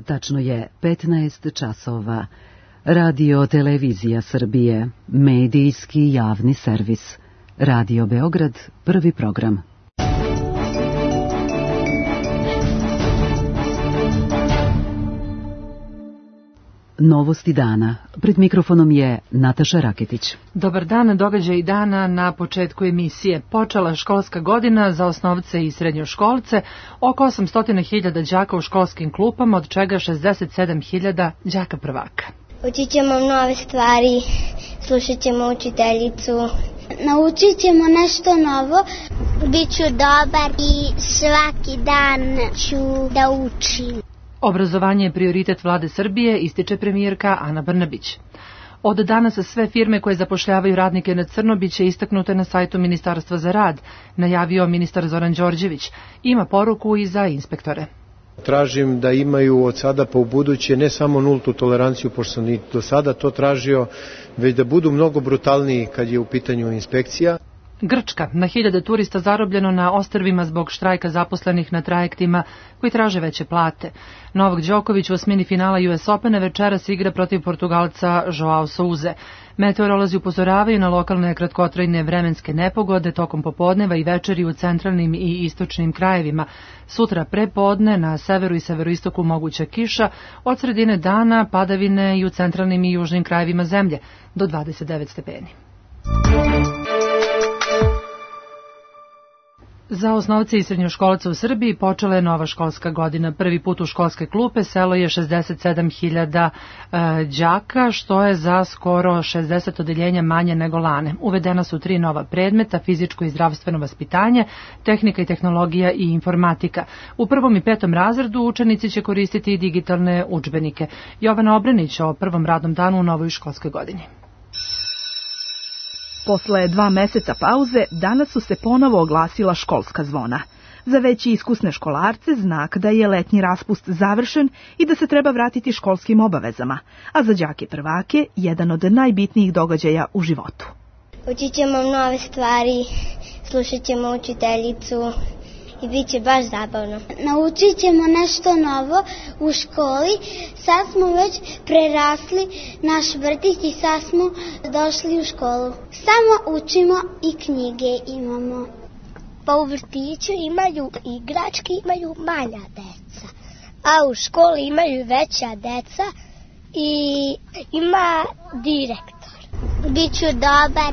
tačno je 15 časova. Radio Televizija Srbije, medijski javni servis. Radio Beograd, prvi program. Novosti dana. Pred mikrofonom je Nataša Raketić. Dobar dan, događaj dana na početku emisije. Počela školska godina za osnovce i srednjoškolce, oko 800.000 đaka u školskim klupama, od čega 67.000 đaka prvaka. Učit ćemo nove stvari, slušat ćemo učiteljicu, naučit ćemo nešto novo. Biću dobar i svaki dan ću da učim. Obrazovanje je prioritet vlade Srbije, ističe premijerka Ana Brnabić. Od danas sve firme koje zapošljavaju radnike na crno biće istaknute na sajtu Ministarstva za rad, najavio ministar Zoran Đorđević. Ima poruku i za inspektore. Tražim da imaju od sada pa u buduće ne samo nultu toleranciju, pošto sam i do sada to tražio, već da budu mnogo brutalniji kad je u pitanju inspekcija. Grčka, na 1000 turista zarobljeno na ostrvima zbog štrajka zaposlenih na trajektima koji traže veće plate. Novak Đoković u osmini finala US Opena večeras igra protiv Portugalca Joao Souze. Meteorolozi upozoravaju na lokalne kratkotrajne vremenske nepogode tokom popodneva i večeri u centralnim i istočnim krajevima. Sutra prepodne na severu i severoistoku moguća kiša, od sredine dana padavine i u centralnim i južnim krajevima zemlje do 29 stepeni. Za osnovce i srednjoškolce u Srbiji počela je nova školska godina. Prvi put u školske klupe selo je 67.000 đaka, što je za skoro 60 odeljenja manje nego lane. Uvedena su 3 nova predmeta, fizičko i zdravstveno vaspitanje, tehnika i tehnologija i informatika. U 1. i 5. razredu učenici će koristiti i digitalne udžbenike. Jovana Obrenić o prvom radnom danu u novoj školskoj godini. Posle 2 meseca pauze, danas su se ponovo oglasila školska zvona. Za već iskusne školarce znak da je letnji raspust završen i da se treba vratiti školskim obavezama, a za đake prvake jedan od najbitnijih događaja u životu. Učit ćemo nove stvari, slušat ćemo učiteljicu i bit će baš zabavno. Naučit ćemo nešto novo u školi. Sad smo već prerasli naš vrtić i sad smo došli u školu. Samo učimo i knjige imamo. Pa u vrtiću imaju igračke, imaju manja deca, a u školi imaju veća deca i ima direktor. Biću dobar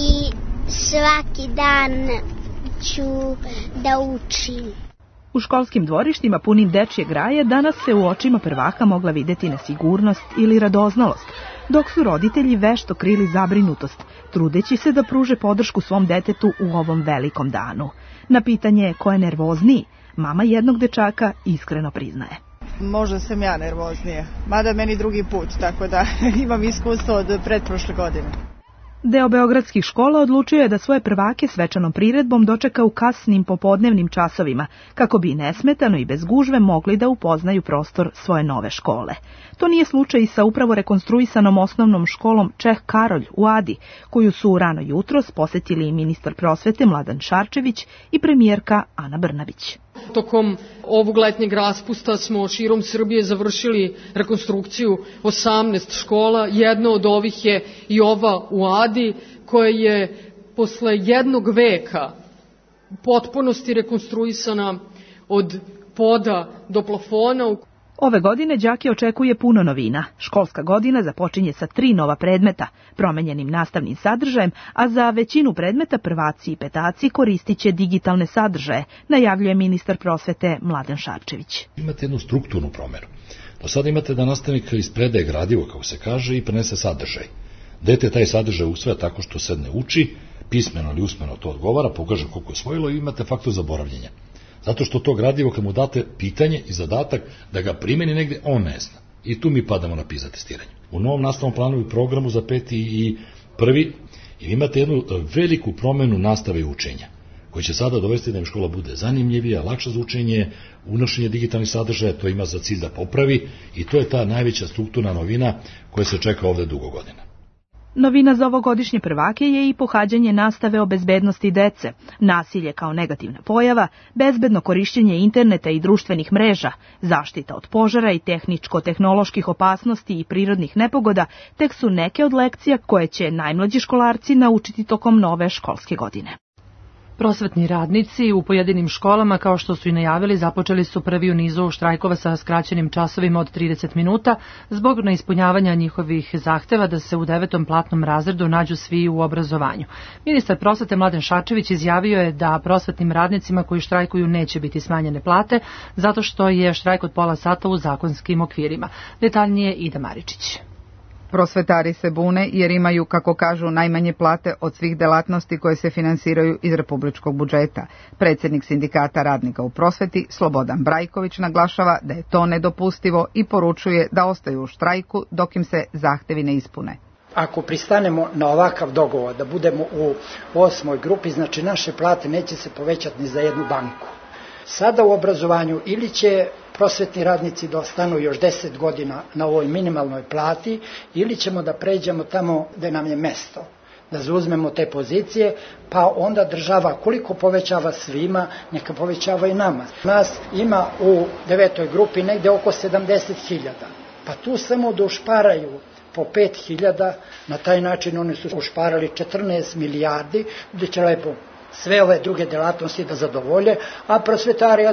i svaki dan ću da učim. U školskim dvorištima punim dečjeg raja danas se u očima prvaka mogla videti nesigurnost ili radoznalost, dok su roditelji vešto krili zabrinutost, trudeći se da pruže podršku svom detetu u ovom velikom danu. Na pitanje ko je nervozniji, mama jednog dečaka iskreno priznaje. Možda sam ja nervoznija, mada meni drugi put, tako da imam iskustvo od pretprošle godine. Deo beogradskih škola odlučio je da svoje prvake svečanom priredbom dočeka u kasnim popodnevnim časovima, kako bi nesmetano i bez gužve mogli da upoznaju prostor svoje nove škole. To nije slučaj i sa upravo rekonstruisanom osnovnom školom Čeh Karolj u Adi, koju su rano jutros posetili i ministar prosvete Mladen Šarčević i premijerka Ana Brnabić. Tokom ovog letnjeg raspusta smo širom Srbije završili rekonstrukciju 18 škola. Jedna od ovih je i ova u Adi, koja je posle jednog veka u potpunosti rekonstruisana od poda do plafona. Ove godine đake očekuje puno novina. Školska godina započinje sa 3 nova predmeta, promenjenim nastavnim sadržajem, a za većinu predmeta prvaci i petaci koristit će digitalne sadržaje, najavljuje ministar prosvete Mladen Šarčević. Imate jednu strukturnu promjenu. Do sada imate da nastavnik ispredaje gradivo, kako se kaže, i prenese sadržaj. Dete taj sadržaj usvaja tako što sedne uči, pismeno ili usmeno to odgovara, pokaže koliko je osvojilo i imate faktor zaboravljenja. Zato što to gradivo, kad mu date pitanje i zadatak da ga primeni negde, on ne zna. I tu mi padamo na PISA testiranju. U novom nastavnom planu i programu za 5. i 1. imate jednu veliku promenu nastave i učenja, koji će sada dovesti da im škola bude zanimljivija, lakša za učenje, unošenje digitalnih sadržaja, to ima za cilj da popravi i to je ta najveća strukturna novina koja se čeka ovde dugo godina. Novina za ovogodišnje prvake je i pohađanje nastave o bezbednosti dece, nasilje kao negativna pojava, bezbedno korišćenje interneta i društvenih mreža, zaštita od požara i tehničko-tehnoloških opasnosti i prirodnih nepogoda tek su neke od lekcija koje će najmlađi školarci naučiti tokom nove školske godine. Prosvetni radnici u pojedinim školama, kao što su i najavili, započeli su prvi u nizu štrajkova sa skraćenim časovima od 30 minuta zbog neispunjavanja njihovih zahteva da se u 9. platnom razredu nađu svi u obrazovanju. Ministar prosvete Mladen Šarčević izjavio je da prosvetnim radnicima koji štrajkuju neće biti smanjene plate, zato što je štrajk od pola sata u zakonskim okvirima. Detaljnije Ida Maričić. Prosvetari se bune jer imaju, kako kažu, najmanje plate od svih delatnosti koje se finansiraju iz republičkog budžeta. Predsjednik sindikata radnika u prosveti, Slobodan Brajković, naglašava da je to nedopustivo i poručuje da ostaju u štrajku dok im se zahtevi ne ispune. Ako pristanemo na ovakav dogovor da budemo u 8. grupi, znači naše plate neće se povećati ni za jednu banku. Sada u obrazovanju ili će prosvetni radnici da ostanu još 10 godina na ovoj minimalnoj plati, ili ćemo da pređemo tamo gde nam je mesto, da zauzmemo te pozicije, pa onda država koliko povećava svima, neka povećava i nama. Nas ima u 9. grupi negde oko 70.000, pa tu samo da ušparaju po 5.000, na taj način oni su ušparali 14 milijardi, gde će lepo sve ove druge delatnosti da zadovolje, a prosvetari,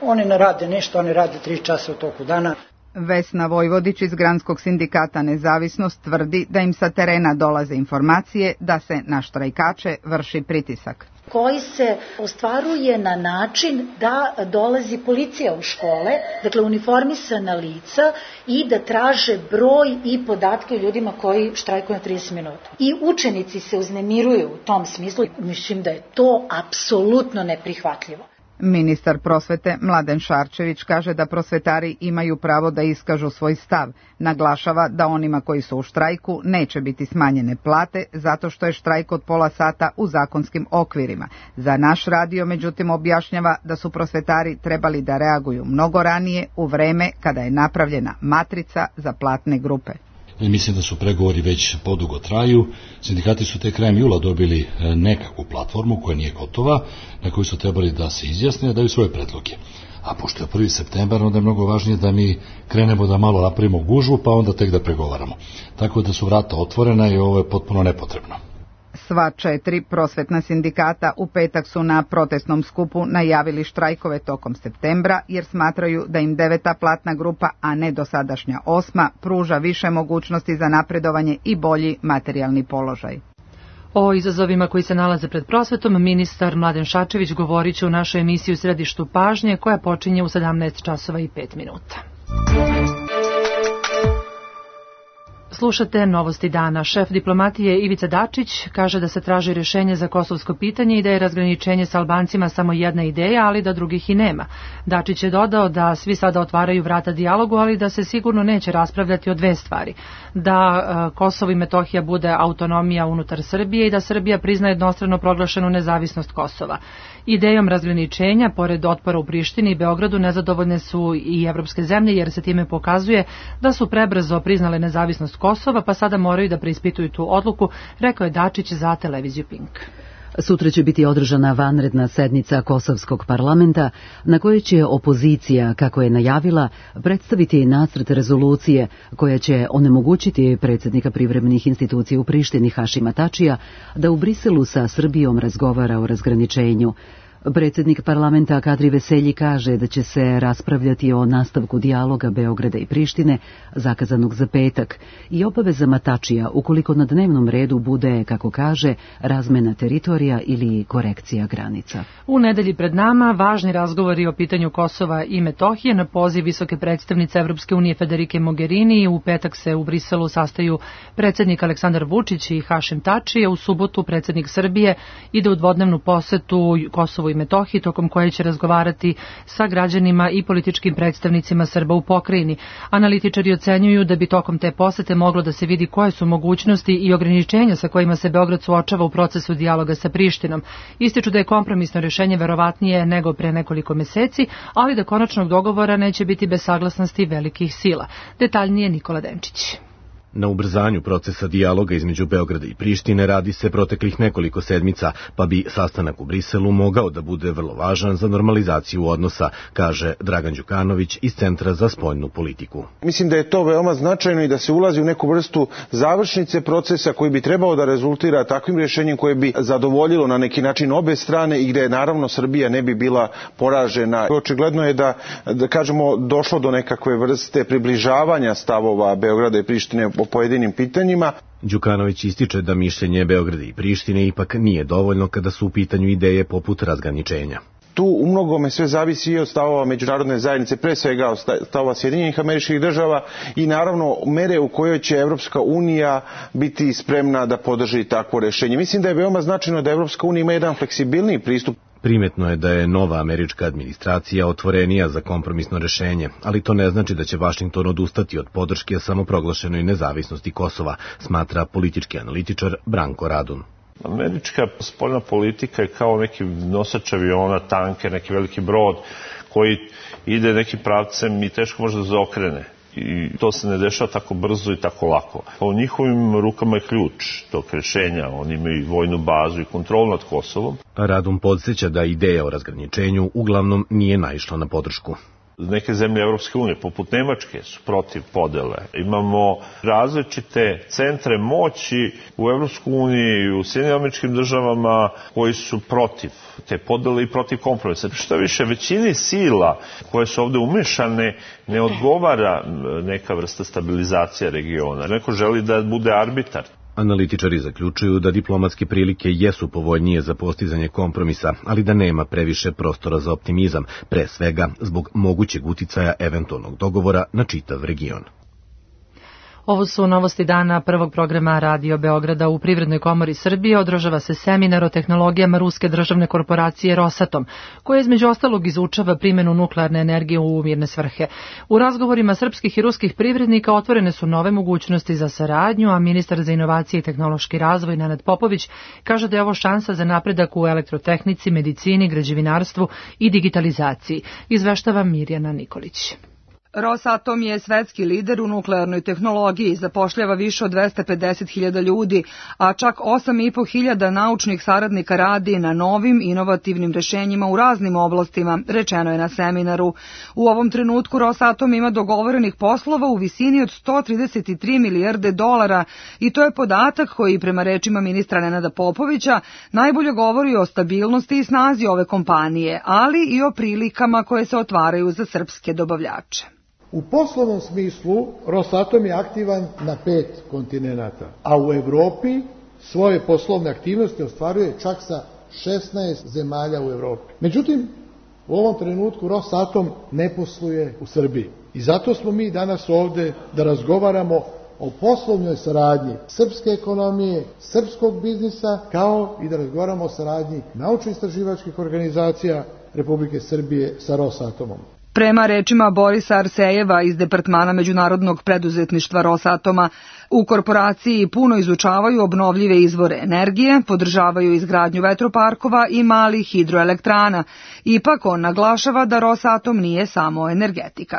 oni ne rade ništa, oni rade 3 časa u toku dana. Vesna Vojvodić iz Granskog sindikata Nezavisnost tvrdi da im sa terena dolaze informacije da se na štrajkače vrši pritisak, koji se ostvaruje na način da dolazi policija u škole, dakle uniformisana lica, i da traže broj i podatke o ljudima koji štrajkuju na 30 minuta. I učenici se uznemiruju u tom smislu. Mislim da je to apsolutno neprihvatljivo. Ministar prosvete Mladen Šarčević kaže da prosvetari imaju pravo da iskažu svoj stav. Naglašava da onima koji su u štrajku neće biti smanjene plate zato što je štrajk od pola sata u zakonskim okvirima. Za naš radio, međutim, objašnjava da su prosvetari trebali da reaguju mnogo ranije, u vreme kada je napravljena matrica za platne grupe. Mislim da su pregovori već podugo traju. Sindikati su te krajem jula dobili nekakvu platformu koja nije gotova, na kojoj su trebali da se izjasne, da daju svoje predloge. A pošto je 1. septembar, onda je mnogo važnije da mi krenemo da malo napravimo gužvu, pa onda tek da pregovaramo. Tako da su vrata otvorena i ovo je potpuno nepotrebno. Sva 4 prosvetna sindikata u petak su na protestnom skupu najavili štrajkove tokom septembra jer smatraju da im 9. platna grupa, a ne dosadašnja 8. pruža više mogućnosti za napredovanje i bolji materijalni položaj. O izazovima koji se nalaze pred prosvetom ministar Mladen Šarčević govorit će u našoj emisiji U središtu pažnje koja počinje u 17 časova i 5 minuta. Slušate Novosti dana. Šef diplomatije Ivica Dačić kaže da se traži rješenje za kosovsko pitanje i da je razgraničenje sa Albancima samo jedna ideja, ali da drugih i nema. Dačić je dodao da svi sada otvaraju vrata dijalogu, ali da se sigurno neće raspravljati o 2 stvari. Da Kosovo i Metohija bude autonomija unutar Srbije i da Srbija prizna jednostrano proglašenu nezavisnost Kosova. Idejom razgraničenja, pored otpora u Prištini i Beogradu, nezadovoljne su i evropske zemlje jer se time pokazuje da su prebrzo priznale nezavisnost Kosova, pa sada moraju da preispituju tu odluku, rekao je Dačić za televiziju Pink. Sutra će biti održana vanredna sednica Kosovskog parlamenta na kojoj će opozicija, kako je najavila, predstaviti nacrt rezolucije koja će onemogućiti predsjednika privremenih institucija u Prištini Hašima Tačija da u Briselu sa Srbijom razgovara o razgraničenju. Predsjednik parlamenta Kadri Veselji kaže da će se raspravljati o nastavku dijaloga Beograda i Prištine, zakazanog za petak, i obavezama Tačija ukoliko na dnevnom redu bude, kako kaže, razmena teritorija ili korekcija granica. U nedelji pred nama važni razgovori o pitanju Kosova i Metohije na poziv visoke predstavnice Evropske unije Federike Mogherini. U petak se u Briselu sastaju predsjednik Aleksandar Vučić i Hašim Tači, a u subotu predsjednik Srbije ide u dvodnevnu posetu Kosovu i Metohiji, tokom koje će razgovarati sa građanima i političkim predstavnicima Srba u pokrajini. Analitičari ocenjuju da bi tokom te posete moglo da se vidi koje su mogućnosti i ograničenja sa kojima se Beograd suočava u procesu dijaloga sa Prištinom. Ističu da je kompromisno rješenje verovatnije nego pre nekoliko meseci, ali da konačnog dogovora neće biti bez saglasnosti velikih sila. Detaljnije Nikola Denčić. Na ubrzanju procesa dijaloga između Beograda i Prištine radi se proteklih nekoliko sedmica, pa bi sastanak u Briselu mogao da bude vrlo važan za normalizaciju odnosa, kaže Dragan Đukanović iz Centra za spoljnu politiku. Mislim da je to veoma značajno i da se ulazi u neku vrstu završnice procesa koji bi trebao da rezultira takvim rješenjem koje bi zadovoljilo na neki način obe strane i gde naravno Srbija ne bi bila poražena. Očigledno je da kažemo došlo do nekakve vrste približavanja stavova Beograda i Prištine po pojedinim pitanjima. Đukanović ističe da mišljenje Beograda i Prištine ipak nije dovoljno kada su u pitanju ideje poput razgraničenja. Tu u mnogome sve zavisi i od stavova međunarodne zajednice, pre svega od stavova Sjedinjenih Američkih Država i naravno mere u kojoj će Evropska unija biti spremna da podrži takvo rešenje. Mislim da je veoma značajno da Evropska unija ima jedan fleksibilniji pristup. Primetno je da je nova američka administracija otvorenija za kompromisno rešenje, ali to ne znači da će Vašington odustati od podrške samoproglašenoj nezavisnosti Kosova, smatra politički analitičar Branko Radun. Američka spoljna politika je kao neki nosač aviona, tanker, neki veliki brod koji ide nekim pravcem i teško može da zaokrene. I to se ne dešava tako brzo i tako lako. U njihovim rukama je ključ tog rešenja. Oni imaju vojnu bazu i kontrolu nad Kosovom. Radun podsjeća da ideja o razgraničenju uglavnom nije naišla na podršku. Neke zemlje Evropske unije, poput Nemačke, su protiv podele. Imamo različite centre moći u Evropskoj uniji i u Sjedinjenim Američkim Državama koji su protiv te podele i protiv kompromisa. Šta više, većini sila koje su ovde umešane ne odgovara neka vrsta stabilizacije regiona. Neko želi da bude arbitar. Analitičari zaključuju da diplomatske prilike jesu povoljnije za postizanje kompromisa, ali da nema previše prostora za optimizam, pre svega zbog mogućeg uticaja eventualnog dogovora na čitav region. Ovo su novosti dana prvog programa Radio Beograda. U Privrednoj komori Srbije održava se seminar o tehnologijama ruske državne korporacije Rosatom, koja između ostalog izučava primjenu nuklearne energije u mirne svrhe. U razgovorima srpskih i ruskih privrednika otvorene su nove mogućnosti za saradnju, a ministar za inovacije i tehnološki razvoj Nenad Popović kaže da je ovo šansa za napredak u elektrotehnici, medicini, građevinarstvu i digitalizaciji. Izveštava Mirjana Nikolić. Rosatom je svetski lider u nuklearnoj tehnologiji, zapošljava više od 250.000 ljudi, a čak 8.500 naučnih saradnika radi na novim inovativnim rešenjima u raznim oblastima, rečeno je na seminaru. U ovom trenutku Rosatom ima dogovorenih poslova u visini od 133 milijarde dolara i to je podatak koji, prema rečima ministra Nenada Popovića, najbolje govori o stabilnosti i snazi ove kompanije, ali i o prilikama koje se otvaraju za srpske dobavljače. U poslovnom smislu Rosatom je aktivan na 5 kontinenata, a u Evropi svoje poslovne aktivnosti ostvaruje čak sa 16 zemalja u Evropi. Međutim, u ovom trenutku Rosatom ne posluje u Srbiji. I zato smo mi danas ovde da razgovaramo o poslovnoj saradnji srpske ekonomije, srpskog biznisa, kao i da razgovaramo o saradnji naučno-istraživačkih organizacija Republike Srbije sa Rosatomom. Prema rečima Borisa Arsejeva iz Departmana međunarodnog preduzetništva Rosatoma, u korporaciji puno izučavaju obnovljive izvore energije, podržavaju izgradnju vetroparkova i malih hidroelektrana. Ipak on naglašava da Rosatom nije samo energetika.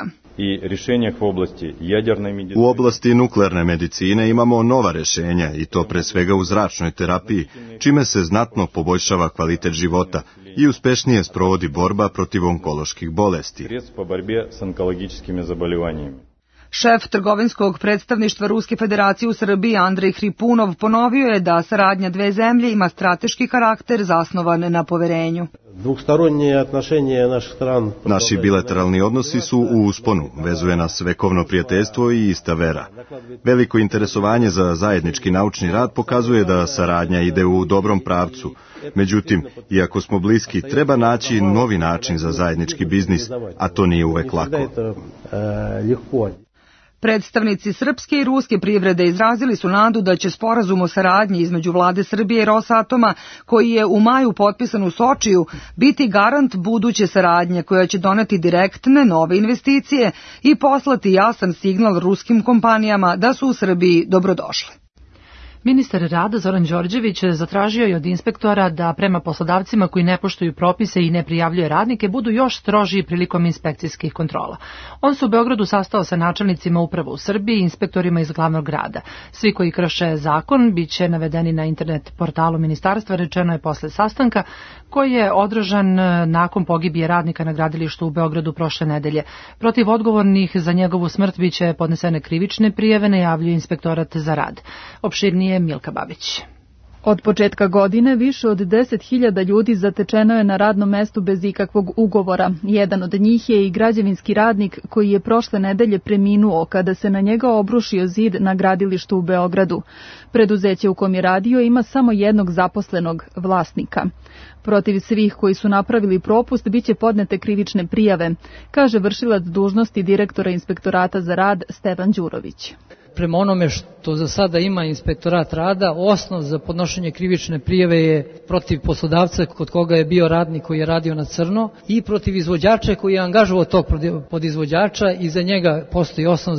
U oblasti nuklearne medicine imamo nova rešenja i to pre svega u zračnoj terapiji, čime se znatno poboljšava kvalitet života i uspešnije sprovodi borba protiv onkoloških bolesti. Šef trgovinskog predstavništva Ruske federacije u Srbiji Andrej Hripunov ponovio je da saradnja dve zemlje ima strateški karakter zasnovan na poverenju. Naši bilateralni odnosi su u usponu, vezuje nas vekovno prijateljstvo i ista vera. Veliko interesovanje za zajednički naučni rad pokazuje da saradnja ide u dobrom pravcu. Međutim, iako smo bliski, treba naći novi način za zajednički biznis, a to nije uvek lako. Predstavnici srpske i ruske privrede izrazili su nadu da će sporazum o saradnji između vlade Srbije i Rosatoma, koji je u maju potpisan u Sočiju, biti garant buduće saradnje koja će doneti direktne nove investicije i poslati jasan signal ruskim kompanijama da su u Srbiji dobrodošle. Ministar rada Zoran Đorđević zatražio je od inspektora da prema poslodavcima koji ne poštuju propise i ne prijavljuje radnike budu još strožiji prilikom inspekcijskih kontrola. On se u Beogradu sastao sa načelnicima uprava u Srbiji i inspektorima iz glavnog grada. Svi koji krše zakon biće navedeni na internet portalu ministarstva, rečeno je posle sastanka koji je održan nakon pogibije radnika na gradilištu u Beogradu prošle nedelje. Protiv odgovornih za njegovu smrt biće podnesene krivične prijave, najavljuje inspektorat za rad. Opširnije Milka Babić. Od početka godine više od 10.000 ljudi zatečeno je na radnom mestu bez ikakvog ugovora. Jedan od njih je i građevinski radnik koji je prošle nedelje preminuo kada se na njega obrušio zid na gradilištu u Beogradu. Preduzeće u kom je radio ima samo jednog zaposlenog, vlasnika. Protiv svih koji su napravili propust biće podnete krivične prijave, kaže vršilac dužnosti direktora Inspektorata za rad Stevan Đurović. Prema onome što za sada ima Inspektorat rada, osnov za podnošenje krivične prijave je protiv poslodavca kod koga je bio radnik koji je radio na crno i protiv izvođača koji je angažovao tog podizvođača i za njega postoji osnov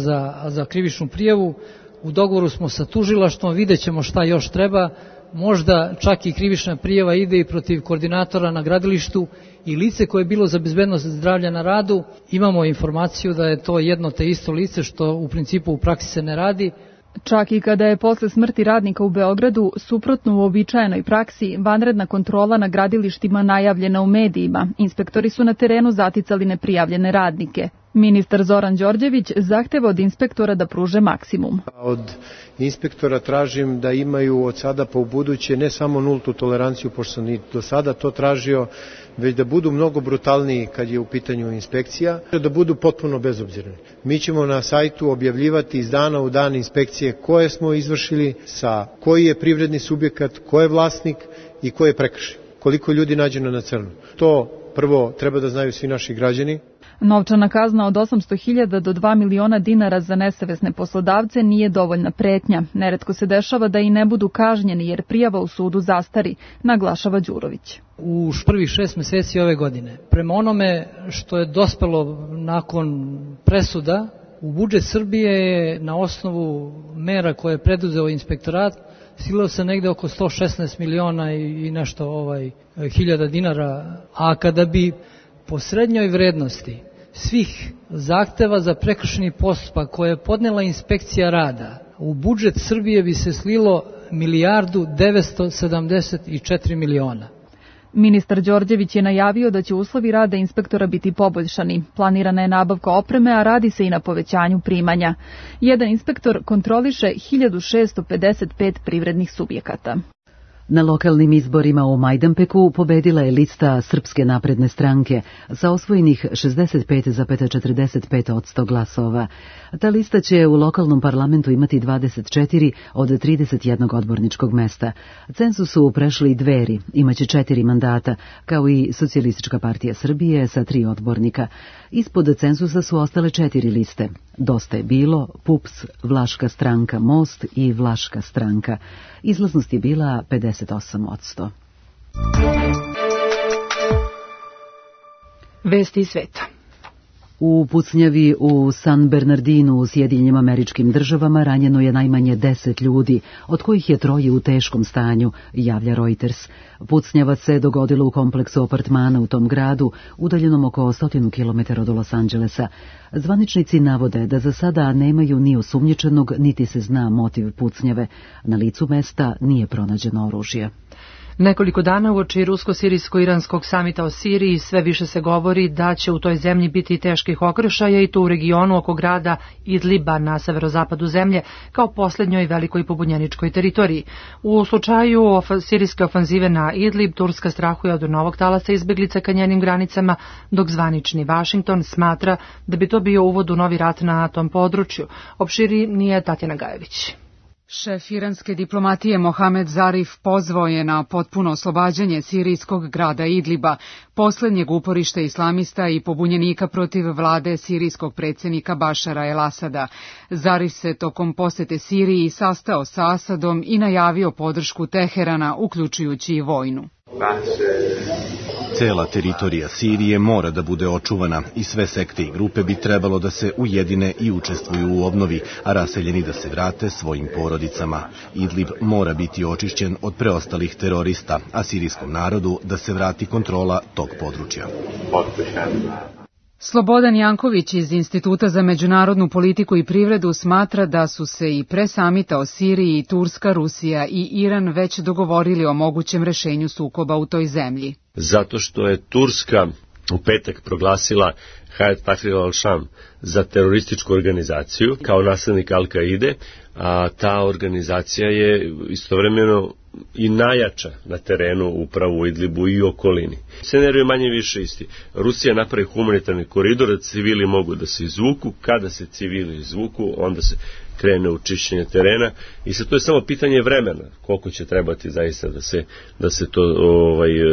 za krivičnu prijavu. U dogovoru smo sa tužilaštvom, vidjet ćemo šta još treba. Možda čak i krivična prijava ide i protiv koordinatora na gradilištu i lice koje je bilo za bezbednost zdravlja na radu. Imamo informaciju da je to jedno te isto lice, što u principu u praksi se ne radi. Čak i kada je posle smrti radnika u Beogradu, suprotno uobičajenoj praksi, vanredna kontrola na gradilištima najavljena u medijima, inspektori su na terenu zaticali neprijavljene radnike. Ministar Zoran Đorđević zahteva od inspektora da pruže maksimum. Od inspektora tražim da imaju od sada pa u buduće ne samo nultu toleranciju, pošto sam i do sada to tražio, već da budu mnogo brutalniji kad je u pitanju inspekcija, da budu potpuno bezobzirni. Mi ćemo na sajtu objavljivati iz dana u dan inspekcije koje smo izvršili, sa koji je privredni subjekat, ko je vlasnik i ko je prekršaj. Koliko ljudi nađeno na crno. To prvo treba da znaju svi naši građani. Novčana kazna od 800.000 do 2 miliona dinara za nesavesne poslodavce nije dovoljna pretnja. Neretko se dešava da i ne budu kažnjeni jer prijava u sudu zastari, naglašava Đurović. U prvih 6 meseci ove godine, prema onome što je dospelo nakon presuda, u budžet Srbije je na osnovu mera koje je preduzeo inspektorat stiglo se negde oko 116 miliona i nešto hiljada dinara, a kada bi po srednjoj vrednosti svih zahteva za prekršajni postupak koje je podnela inspekcija rada, u budžet Srbije bi se slilo 1.974 miliona. Ministar Đorđević je najavio da će uslovi rada inspektora biti poboljšani. Planirana je nabavka opreme, a radi se i na povećanju primanja. Jedan inspektor kontroliše 1655 privrednih subjekata. Na lokalnim izborima u Majdanpeku pobedila je lista Srpske napredne stranke sa osvojenih 65,45% glasova. Ta lista će u lokalnom parlamentu imati 24 od 31 odborničkog mesta. Cenzus su prešli Dveri, imaće 4 mandata, kao i Socijalistička partija Srbije sa 3 odbornika. Ispod cenzusa su ostale 4 liste. Dosta je bilo, PUPS, Vlaška stranka Most i Vlaška stranka. Izlaznost je bila 58%. Vesti sveta. U pucnjavi u San Bernardinu u Sjedinjenim Američkim Državama ranjeno je najmanje 10 ljudi, od kojih je 3 u teškom stanju, javlja Reuters. Pucnjava se dogodilo u kompleksu apartmana u tom gradu, udaljenom oko 100 km od Los Angelesa. Zvaničnici navode da za sada nemaju ni osumnjičenog, niti se zna motiv pucnjave. Na licu mesta nije pronađeno oružje. Nekoliko dana uoči rusko-sirijsko-iranskog samita o Siriji sve više se govori da će u toj zemlji biti teških okršaja i to u regionu oko grada Idliba na severozapadu zemlje kao posljednjoj velikoj pobunjeničkoj teritoriji. U slučaju sirijske ofanzive na Idlib, Turska strahuje od novog talasa izbeglica ka njenim granicama, dok zvanični Vašington smatra da bi to bio uvod u novi rat na tom području. Opširnije Tatjana Gajević. Šef iranske diplomatije Mohamed Zarif pozvao je na potpuno oslobađanje sirijskog grada Idliba, posljednjeg uporišta islamista i pobunjenika protiv vlade sirijskog predsjednika Bašara el-Asada. Zarif se tokom posete Siriji sastao sa Asadom i najavio podršku Teherana, uključujući i vojnu. Cela teritorija Sirije mora da bude očuvana i sve sekte i grupe bi trebalo da se ujedine i učestvuju u obnovi, a raseljeni da se vrate svojim porodicama. Idlib mora biti očišćen od preostalih terorista, a sirijskom narodu da se vrati kontrola tog područja. Slobodan Janković iz Instituta za međunarodnu politiku i privredu smatra da su se i pre samita o Siriji Turska, Rusija i Iran već dogovorili o mogućem rešenju sukoba u toj zemlji. Zato što je Turska u petak proglasila Hayat Tahrir al-Sham za terorističku organizaciju kao naslednik Al-Kaide, a ta organizacija je istovremeno i najjača na terenu upravo u Idlibu i okolini. Scenarij je manje više isti. Rusija napravi humanitarni koridor da civili mogu da se izvuku, kada se civili izvuku, onda se krene u čišćenje terena i sad to je samo pitanje vremena, koliko će trebati zaista da se to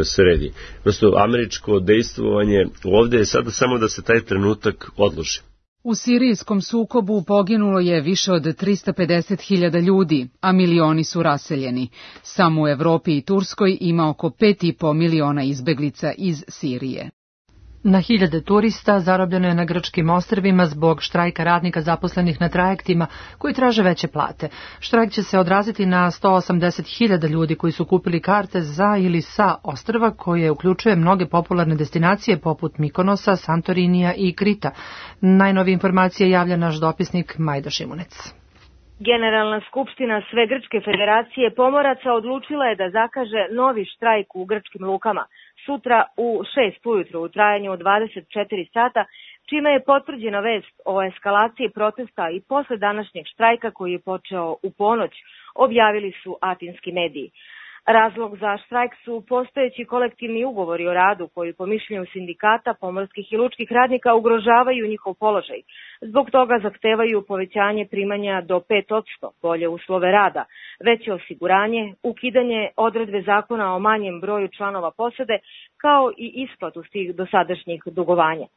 sredi. Prosto američko dejstvovanje ovde je sada samo da se taj trenutak odloži. U sirijskom sukobu poginulo je više od 350.000 ljudi, a milioni su raseljeni. Samo u Evropi i Turskoj ima oko 5,5 miliona izbeglica iz Sirije. Na hiljade turista zarobljeno je na grčkim ostrvima zbog štrajka radnika zaposlenih na trajektima koji traže veće plate. Štrajk će se odraziti na 180.000 ljudi koji su kupili karte za ili sa ostrva koje uključuje mnoge popularne destinacije poput Mikonosa, Santorinija i Krita. Najnovije informacije javlja naš dopisnik Majda Šimunec. Generalna skupština Sve grčke federacije pomoraca odlučila je da zakaže novi štrajk u grčkim lukama sutra u 6 ujutru u trajanju od 24 sata, čime je potvrđena vest o eskalaciji protesta i posle današnjeg štrajka koji je počeo u ponoć, objavili su atinski mediji. Razlog za štrajk su postojeći kolektivni ugovori o radu koji po mišljenju sindikata pomorskih i lučkih radnika ugrožavaju njihov položaj. Zbog toga zahtevaju povećanje primanja do 5%, bolje uslove rada, veće osiguranje, ukidanje odredbe zakona o manjem broju članova posade, kao i isplatu tih dosadašnjih dugovanja.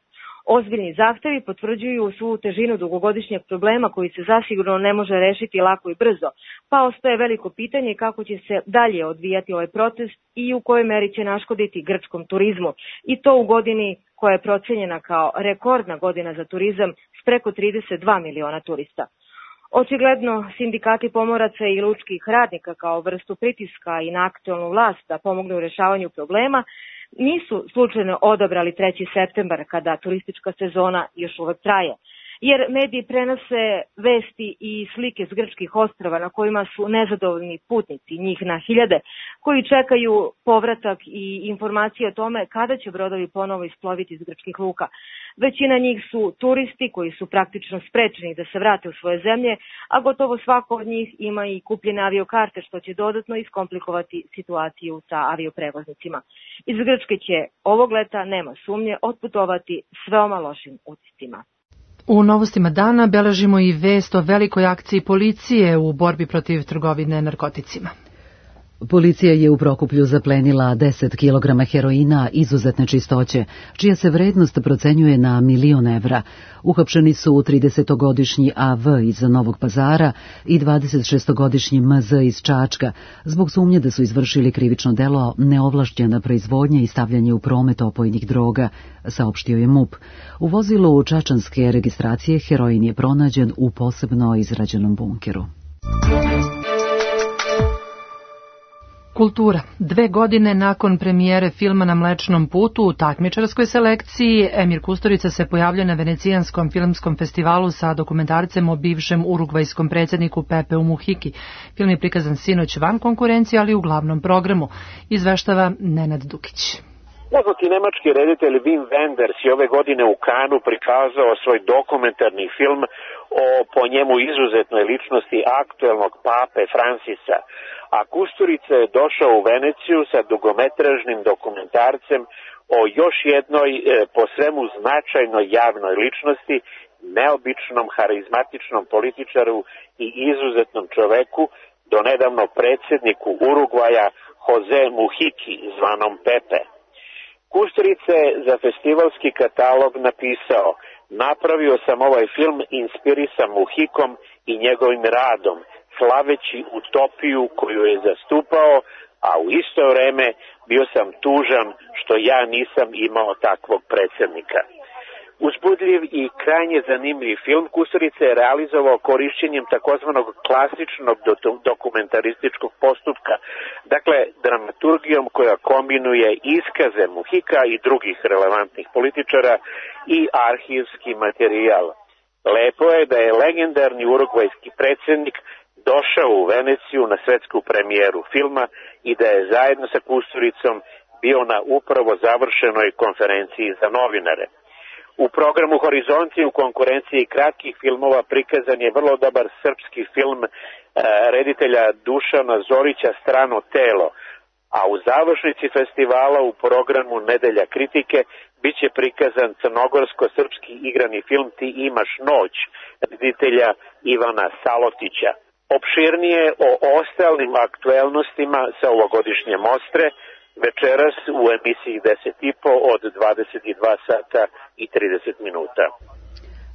Ozbiljni zahtevi potvrđuju svu težinu dugogodišnjeg problema koji se zasigurno ne može rešiti lako i brzo, pa ostaje veliko pitanje kako će se dalje odvijati ovaj protest i u kojoj meri će naškoditi grčkom turizmu, i to u godini koja je procenjena kao rekordna godina za turizam s preko 32 miliona turista. Očigledno, sindikati pomoraca i lučkih radnika kao vrstu pritiska i na aktuelnu vlast da pomognu u rešavanju problema nisu slučajno odabrali 3. septembar kada turistička sezona još uvek traje, jer mediji prenose vesti i slike s grčkih ostrava na kojima su nezadovoljni putnici, njih na hiljade, koji čekaju povratak i informacije o tome kada će brodovi ponovo isploviti iz grčkih luka. Većina njih su turisti koji su praktično sprečeni da se vrate u svoje zemlje, a gotovo svako od njih ima i kupljene aviokarte, što će dodatno iskomplikovati situaciju sa avioprevoznicima. Iz Grčke će ovog leta, nema sumnje, otputovati s veoma lošim utiscima. U novostima dana beležimo i vest o velikoj akciji policije u borbi protiv trgovine narkoticima. Policija je u Prokuplju zaplenila 10 kg heroina izuzetne čistoće, čija se vrednost procenjuje na 1.000.000 evra. Uhapšeni su 30-godišnji AV iz Novog Pazara i 26-godišnji MZ iz Čačka, zbog sumnje da su izvršili krivično delo neovlašćena proizvodnja i stavljanje u promet opojnih droga, saopštio je MUP. U vozilu čačanske registracije heroin je pronađen u posebno izrađenom bunkeru. Kultura. 2 godine nakon premijere filma Na Mlečnom putu u takmičarskoj selekciji, Emir Kusturica se pojavlja na Venecijanskom filmskom festivalu sa dokumentarcem o bivšem urugvajskom predsjedniku Pepeu Muhiki. Film je prikazan sinoć van konkurencije, ali u glavnom programu. Izveštava Nenad Dukić. Poznati nemački reditelj Wim Wenders je ove godine u Kanu prikazao svoj dokumentarni film o po njemu izuzetnoj ličnosti aktuelnog pape Francisa, a Kusturica je došao u Veneciju sa dugometražnim dokumentarcem o još jednoj po svemu značajnoj javnoj ličnosti, neobičnom, harizmatičnom političaru i izuzetnom čoveku, donedavno predsjedniku Urugvaja Jose Muhiki, zvanom Pepe. Kusturica je za festivalski katalog napisao: napravio sam ovaj film inspirisan Muhikom i njegovim radom, slaveći utopiju koju je zastupao, a u isto vreme bio sam tužan što ja nisam imao takvog predsjednika. Uzbudljiv i krajnje zanimljiv film Kusturica je realizovao korišćenjem takozvanog klasičnog dokumentarističkog postupka, dakle dramaturgijom koja kombinuje iskaze Muhika i drugih relevantnih političara i arhivski materijal. Lepo je da je legendarni urugvajski predsjednik došao u Veneciju na svetsku premijeru filma i da je zajedno sa Kusturicom bio na upravo završenoj konferenciji za novinare. U programu Horizonti u konkurenciji kratkih filmova prikazan je vrlo dobar srpski film reditelja Dušana Zorića Strano telo, a u završnici festivala u programu Nedelja kritike biće prikazan crnogorsko-srpski igrani film Ti imaš noć reditelja Ivana Salotića. Opširnije o ostalim aktuelnostima sa ovogodišnje mostre večeras u emisiji 10.5 od 22 sata i 30 minuta.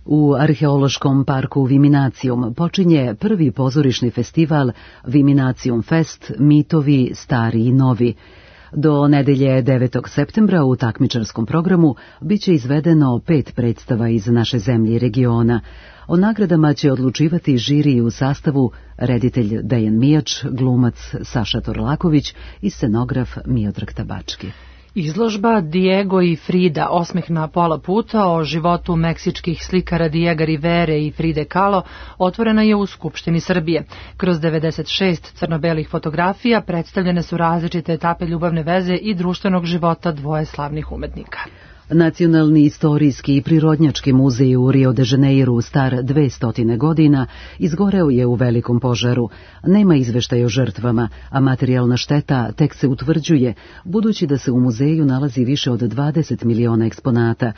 U arheološkom parku Viminacijum počinje prvi pozorišni festival Viminacijum Fest, mitovi stari i novi. Do nedelje 9. septembra u takmičarskom programu biće izvedeno 5 predstava iz naše zemlje i regiona. O nagradama će odlučivati žiri u sastavu reditelj Dejan Mijač, glumac Saša Torlaković i scenograf Miodrag Tabački. Izložba Diego i Frida, osmeh na pola puta o životu meksičkih slikara Diega Rivere i Fride Kahlo, otvorena je u Skupštini Srbije. Kroz 96 crno-belih fotografija predstavljene su različite etape ljubavne veze i društvenog života dvoje slavnih umetnika. Nacionalni istorijski i prirodnjački muzej u Rio de Janeiru, star 200 godina, izgoreo je u velikom požaru. Nema izveštaja o žrtvama, a materijalna šteta tek se utvrđuje, budući da se u muzeju nalazi više od 20 miliona eksponata.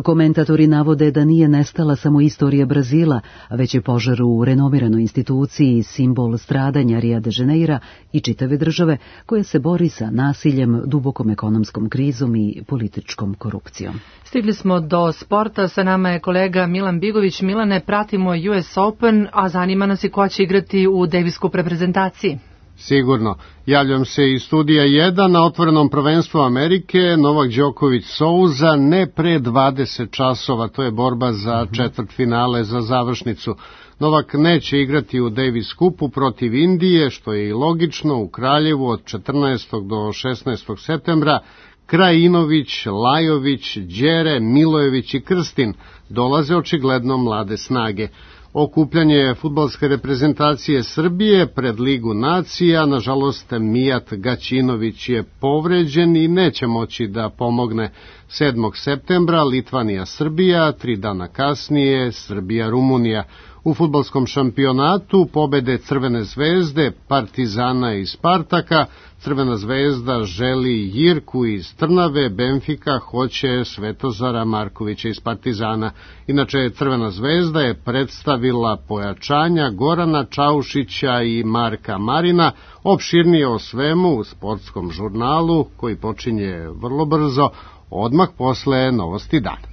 Komentatori navode da nije nestala samo istorija Brazila, već je požar u renomiranoj instituciji simbol stradanja Rio de Janeira i čitave države koja se bori sa nasiljem, dubokom ekonomskom krizom i političkom korupcijom. Stigli smo do sporta, sa nama je kolega Milan Bigović. Milane, pratimo US Open, a zanima nas i ko će igrati u Davis Cup reprezentaciji. Sigurno. Javljam se iz studija 1 na otvorenom prvenstvu Amerike. Novak Đoković Souza ne pre 20 časova. To je borba za četvrtfinale, za završnicu. Novak neće igrati u Davis Cupu protiv Indije, što je i logično, u Kraljevu od 14. do 16. septembra. Krajinović, Lajović, Đere, Milojević i Krstin dolaze očigledno mlade snage. Okupljanje fudbalske reprezentacije Srbije pred Ligu nacija, nažalost Mijat Gaćinović je povređen i neće moći da pomogne. 7. septembra Litvanija-Srbija, 3 dana kasnije Srbija-Rumunija. U fudbalskom šampionatu pobede Crvene zvezde, Partizana i Spartaka. Crvena zvezda želi Jirku iz Trnave, Benfika hoće Svetozara Markovića iz Partizana. Inače, Crvena zvezda je predstavila pojačanja Gorana Čaušića i Marka Marina. Opširnije o svemu u sportskom žurnalu koji počinje vrlo brzo, odmah posle Novosti dana.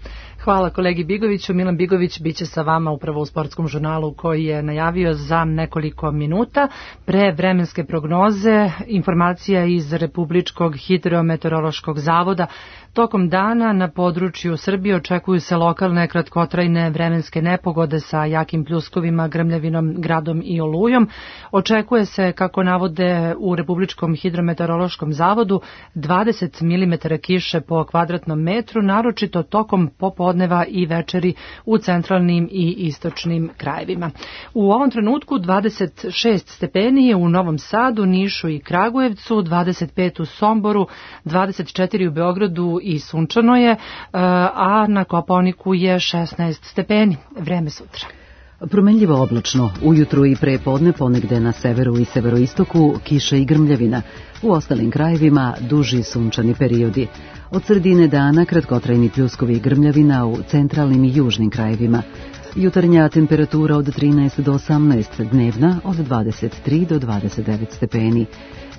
Hvala kolegi Bigoviću. Milan Bigović biće sa vama upravo u sportskom žurnalu koji je najavio za nekoliko minuta. Pre vremenske prognoze, informacija iz Republičkog hidrometeorološkog zavoda. Tokom dana na području Srbije očekuju se lokalne kratkotrajne vremenske nepogode sa jakim pljuskovima, grmljavinom, gradom i olujom. Očekuje se, kako navode u Republičkom hidrometeorološkom zavodu, 20 mm kiše po kvadratnom metru, naročito tokom popodneva i večeri u centralnim i istočnim krajevima. U ovom trenutku 26 stepeni je u Novom Sadu, Nišu i Kragujevcu, 25 u Somboru, 24 u Beogradu i sunčano je, a na Kopaoniku je 16 stepeni. Vreme sutra. Promenljivo oblačno, ujutru i pre podne ponegde na severu i severoistoku kiša i grmljavina. U ostalim krajevima duži sunčani periodi. Od sredine dana kratkotrajni pljuskovi i grmljavina u centralnim i južnim krajevima. Jutarnja temperatura od 13 do 18, dnevna od 23 do 29 stepeni.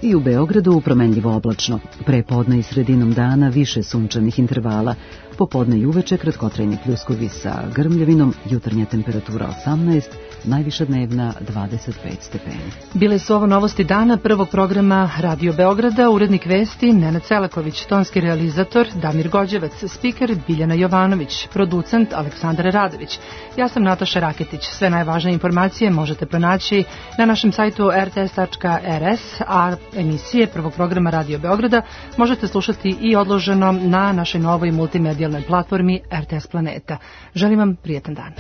I u Beogradu promenljivo oblačno. Pre podne i sredinom dana više sunčanih intervala. Popodne i uveče kratkotrajni pljuskovi sa grmljavinom, jutarnja temperatura 18, najviša dnevna 25 stepeni. Bile su ovo novosti dana prvog programa Radio Beograda, urednik vesti Nenad Selaković, tonski realizator Damir Gođevac, spiker Biljana Jovanović, producent Aleksandar Radović. Ja sam Nataša Raketić. Sve najvažnije informacije možete pronaći na našem sajtu rts.rs, a emisije prvog programa Radio Beograda možete slušati i odloženo na našoj novoj multimedijalnoj platformi RTS Planeta. Želim vam prijetan dan.